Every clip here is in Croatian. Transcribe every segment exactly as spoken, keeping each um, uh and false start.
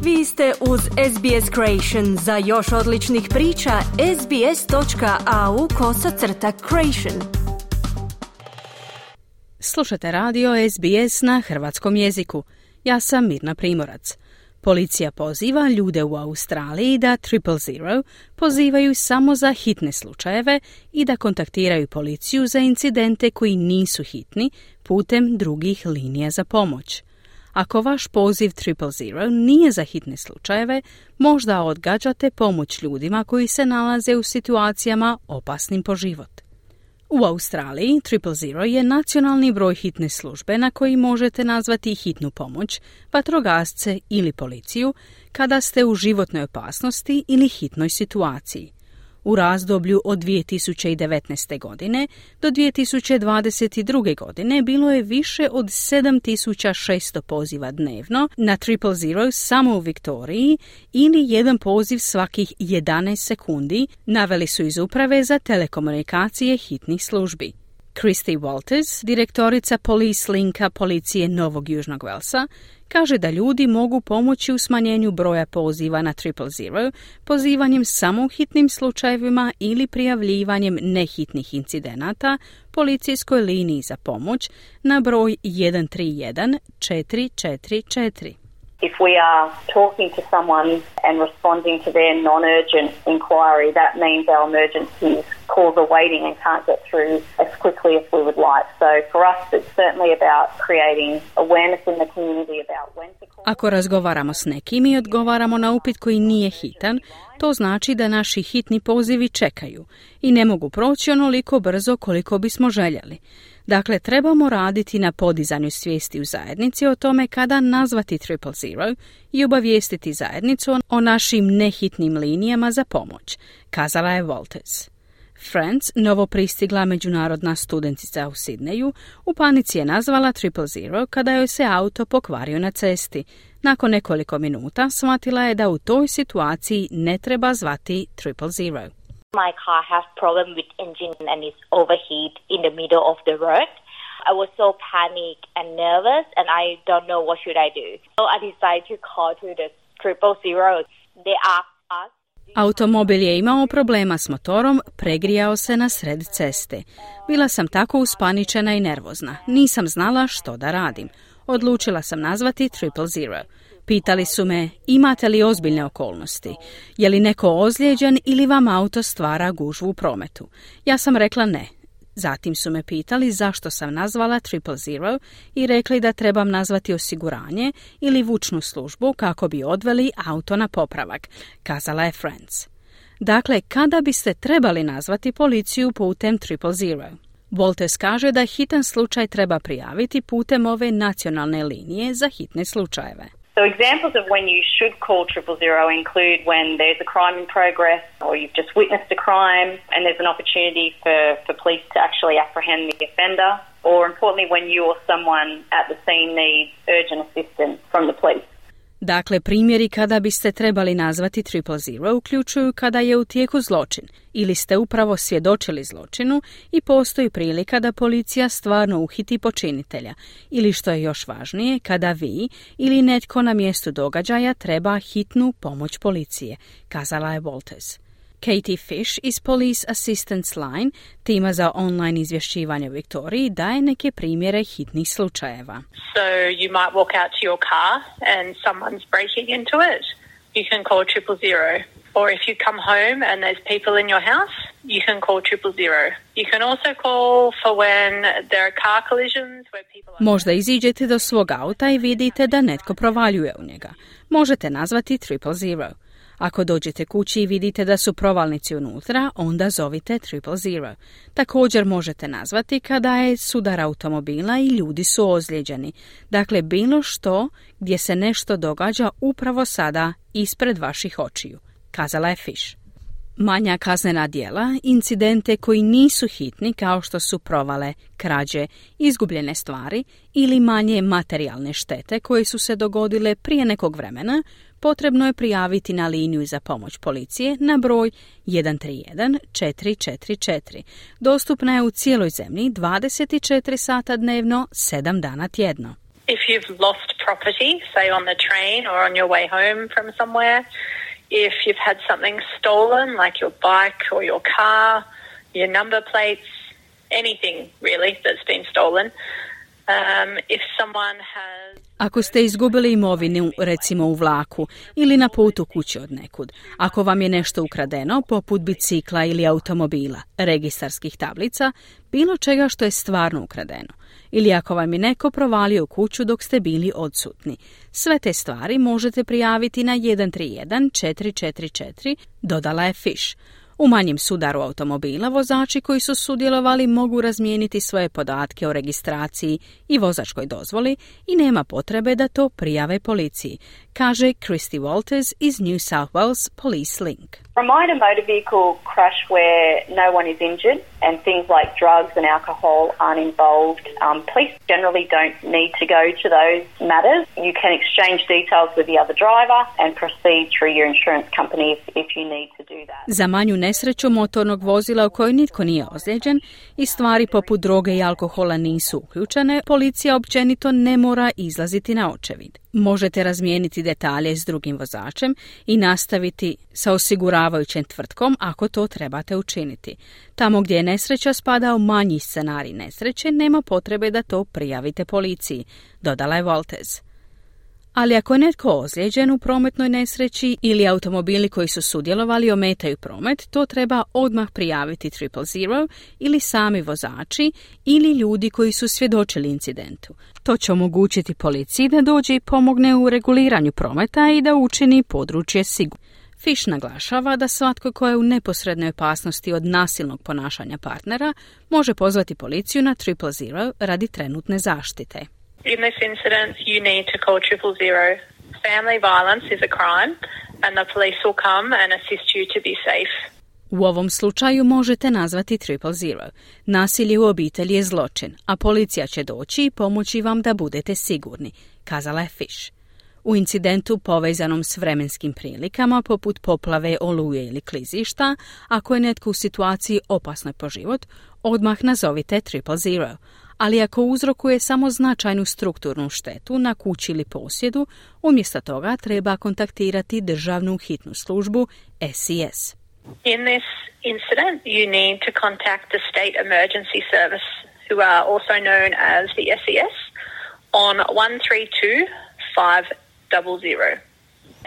Vi ste uz S B S Creation. Za još odličnih priča, sbs.au kosacrta creation. Slušate radio S B S na hrvatskom jeziku. Ja sam Mirna Primorac. Policija poziva ljude u Australiji da triple zero pozivaju samo za hitne slučajeve i da kontaktiraju policiju za incidente koji nisu hitni putem drugih linija za pomoć. Ako vaš poziv triple zero nije za hitne slučajeve, možda odgađate pomoć ljudima koji se nalaze u situacijama opasnim po život. U Australiji triple zero je nacionalni broj hitne službe na koji možete nazvati hitnu pomoć, vatrogasce ili policiju kada ste u životnoj opasnosti ili hitnoj situaciji. U razdoblju od dvije tisuće devetnaeste. godine do dvije tisuće dvadeset druge. godine bilo je više od sedam tisuća šesto poziva dnevno na triple zero samo u Viktoriji ili jedan poziv svakih jedanaest sekundi, naveli su iz Uprave za telekomunikacije hitnih službi. Christy Walters, direktorica Police Linka policije Novog Južnog Velsa, kaže da ljudi mogu pomoći u smanjenju broja poziva na triple zero pozivanjem samo u hitnim slučajevima ili prijavljivanjem nehitnih incidenata policijskoj liniji za pomoć na broj jedan tri jedan četiri četiri četiri. If we are talking to someone and responding to their non-urgent inquiry, that means our emergency calls are waiting and can't get through as quickly as we would like. So for us, it's certainly about creating awareness in the community about when to call. Ako razgovaramo s nekim i odgovaramo na upit koji nije hitan, to znači da naši hitni pozivi čekaju i ne mogu proći onoliko brzo koliko bismo željeli. Dakle, trebamo raditi na podizanju svijesti u zajednici o tome kada nazvati triple zero i obavijestiti zajednicu o našim nehitnim linijama za pomoć, kazala je Walters. Franz, novo pristigla međunarodna studentica u Sidneju, u panici je nazvala triple zero kada joj se auto pokvario na cesti. Nakon nekoliko minuta shvatila je da u toj situaciji ne treba zvati triple zero. My car has problem with engine and is overheat in the middle of the road. I was so panicked and nervous and I don't know what should I do. So I decided to call to the triple zero. They asked us. Automobil je imao problema s motorom, pregrijao se na sred ceste. Bila sam tako uspaničena i nervozna. Nisam znala što da radim. Odlučila sam nazvati triple zero. Pitali su me, imate li ozbiljne okolnosti? Je li neko ozlijeđen ili vam auto stvara gužvu u prometu? Ja sam rekla ne. Zatim su me pitali zašto sam nazvala triple zero i rekli da trebam nazvati osiguranje ili vučnu službu kako bi odveli auto na popravak, kazala je Franz. Dakle, kada biste trebali nazvati policiju putem triple zero? Walters kaže da hitan slučaj treba prijaviti putem ove nacionalne linije za hitne slučajeve. So examples of when you should call triple zero include when there's a crime in progress or you've just witnessed a crime and there's an opportunity for, for police to actually apprehend the offender, or importantly when you or someone at the scene needs urgent assistance from the police. Dakle, primjeri kada biste trebali nazvati triple zero uključuju kada je u tijeku zločin ili ste upravo svjedočili zločinu i postoji prilika da policija stvarno uhiti počinitelja ili što je još važnije, kada vi ili netko na mjestu događaja treba hitnu pomoć policije, kazala je Walters. Katie Fish iz Police Assistance Line, tima za online izvješćivanje u Viktoriji, daje neke primjere hitnih slučajeva. So you might walk out to your car and someone's breaking into it. You can call triple zero. Or if you come home and there's people in your house, you can call triple zero. You can also call for when there are car collisions where people are... Možda iziđete do svog auta i vidite da netko provaljuje u njega. Možete nazvati triple zero. Ako dođete kući i vidite da su provalnici unutra, onda zovite triple zero. Također možete nazvati kada je sudar automobila i ljudi su ozlijeđeni. Dakle, bilo što gdje se nešto događa upravo sada ispred vaših očiju, kazala je Fish. Manja kaznena djela, incidente koji nisu hitni kao što su provale, krađe, izgubljene stvari ili manje materijalne štete koje su se dogodile prije nekog vremena, potrebno je prijaviti na liniju za pomoć policije na broj jedan tri jedan četiri četiri četiri. Dostupna je u cijeloj zemlji dvadeset četiri sata dnevno, sedam dana tjedno. If you've lost property, say on the train or on your way home from somewhere, if you've had something stolen, like your bike or your car, your number plates, anything really that's been stolen. Um, if someone has... Ako ste izgubili imovinu, recimo u vlaku ili na putu kući od nekud, ako vam je nešto ukradeno, poput bicikla ili automobila, registarskih tablica, bilo čega što je stvarno ukradeno, ili ako vam je neko provalio u kuću dok ste bili odsutni, sve te stvari možete prijaviti na jedan tri jedan četiri četiri četiri, dodala je Fish. U manjem sudaru automobila vozači koji su sudjelovali mogu razmijeniti svoje podatke o registraciji i vozačkoj dozvoli i nema potrebe da to prijave policiji, kaže Christy Walters iz New South Wales Police Link. Remind a motor vehicle crash where no one is injured and things like drugs and alcohol aren't involved. Um, police generally don't need to go to those matters. You can exchange details with the other driver and proceed through your insurance company if, if you need to do that. Za manju nesreću motornog vozila u kojoj nitko nije ozlijeđen i stvari poput droge i alkohola nisu uključene, policija općenito ne mora izlaziti na očevid. Možete razmijeniti detalje s drugim vozačem i nastaviti sa osiguravajućem tvrtkom ako to trebate učiniti. Tamo gdje je nesreća spada u manji scenarij nesreće, nema potrebe da to prijavite policiji, dodala je Walters. Ali ako je netko ozlijeđen u prometnoj nesreći ili automobili koji su sudjelovali ometaju promet, to treba odmah prijaviti triple zero ili sami vozači ili ljudi koji su svjedočili incidentu. To će omogućiti policiji da dođe i pomogne u reguliranju prometa i da učini područje sigurno. Fish naglašava da svatko ko je u neposrednoj opasnosti od nasilnog ponašanja partnera može pozvati policiju na triple zero radi trenutne zaštite. In this incident, you need to call triple zero. Family violence is a crime and the police will come and assist you to be safe. U ovom slučaju možete nazvati triple zero. Nasilje u obitelji je zločin, a policija će doći i pomoći vam da budete sigurni, kazala je Fish. U incidentu povezanom s vremenskim prilikama, poput poplave, oluje ili klizišta, ako je netko u situaciji opasnoj po život, odmah nazovite triple zero. Ali ako uzrokuje samo značajnu strukturnu štetu na kući ili posjedu, umjesto toga treba kontaktirati državnu hitnu službu S E S. In this incident, you need to contact the State Emergency Service, who are also known as the S E S, on one three two five zero zero.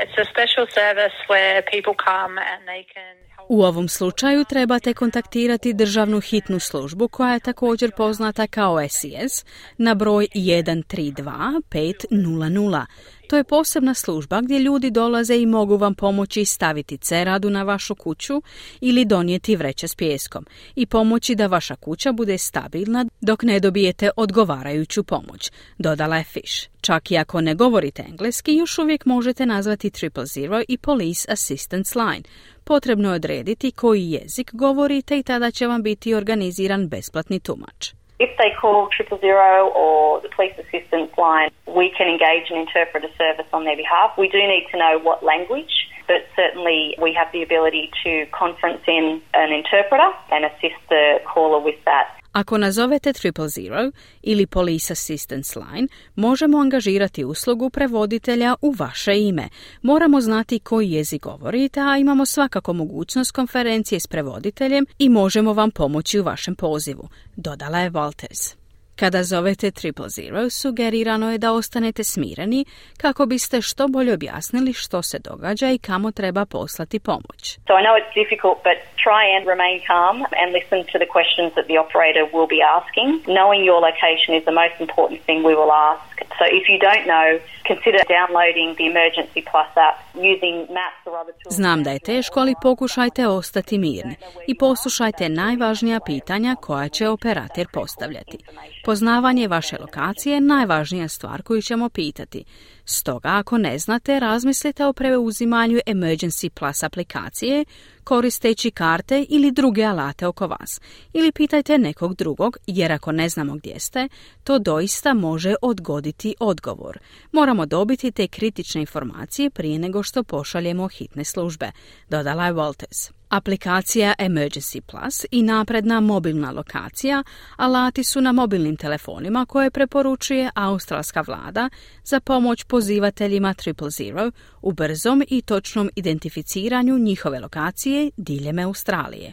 It's a special service where people come and they can... U ovom slučaju trebate kontaktirati državnu hitnu službu koja je također poznata kao S E S na broj jedan tri dva pet nula nula. To je posebna služba gdje ljudi dolaze i mogu vam pomoći staviti ceradu na vašu kuću ili donijeti vreće s pijeskom i pomoći da vaša kuća bude stabilna dok ne dobijete odgovarajuću pomoć, dodala je Fish. Čak i ako ne govorite engleski, još uvijek možete nazvati triple zero i Police Assistance Line. Potrebno je odrediti koji jezik govorite i tada će vam biti organiziran besplatni tumač. If they call triple zero or the police assistance line, we can engage an interpreter service on their behalf. We do need to know what language, but certainly we have the ability to conference in an interpreter and assist the caller with that. Ako nazovete triple zero ili Police Assistance Line, možemo angažirati uslugu prevoditelja u vaše ime. Moramo znati koji jezik govorite, a imamo svakako mogućnost konferencije s prevoditeljem i možemo vam pomoći u vašem pozivu, dodala je Walters. Kada zovete triple zero, sugerirano je da ostanete smireni kako biste što bolje objasnili što se događa i kamo treba poslati pomoć. So I know it's difficult, but try and remain calm and listen to the questions that the operator will be asking. Knowing your location is the most important thing we will ask. So if you don't know, consider downloading the Emergency Plus app, using maps or other tools. Znam da je teško, ali pokušajte ostati mirni i poslušajte najvažnija pitanja koja će operator postavljati. Poznavanje vaše lokacije je najvažnija stvar koju ćemo pitati. Stoga, ako ne znate, razmislite o preuzimanju Emergency Plus aplikacije koristeći karte ili druge alate oko vas. Ili pitajte nekog drugog, jer ako ne znamo gdje ste, to doista može odgoditi odgovor. Moramo dobiti te kritične informacije prije nego što pošaljemo hitne službe, dodala je Walters. Aplikacija Emergency Plus i napredna mobilna lokacija alati su na mobilnim telefonima koje preporučuje australska vlada za pomoć pozivateljima triple zero u brzom i točnom identificiranju njihove lokacije diljem Australije.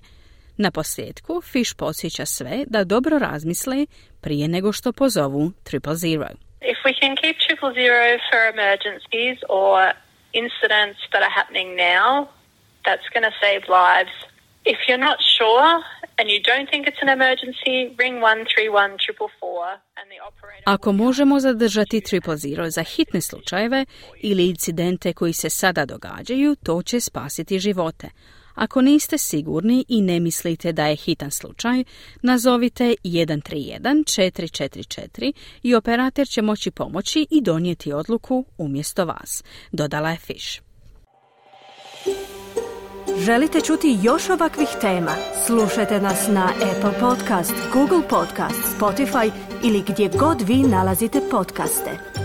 Na posljedku, Fish podsjeća sve da dobro razmisle prije nego što pozovu triple zero. If we can keep triple zero for emergencies or incidents that are happening now, that's going to save lives. If you're not sure and you don't think it's an emergency, ring one three one four four four and the operator... Ako možemo zadržati triple zero za hitne slučajeve ili incidente koji se sada događaju, to će spasiti živote. Ako niste sigurni i ne mislite da je hitan slučaj, nazovite jedan tri jedan četiri četiri četiri i operator će moći pomoći i donijeti odluku umjesto vas, dodala je Fish. Želite čuti još ovakvih tema? Slušajte nas na Apple Podcast, Google Podcast, Spotify ili gdje god vi nalazite podcaste.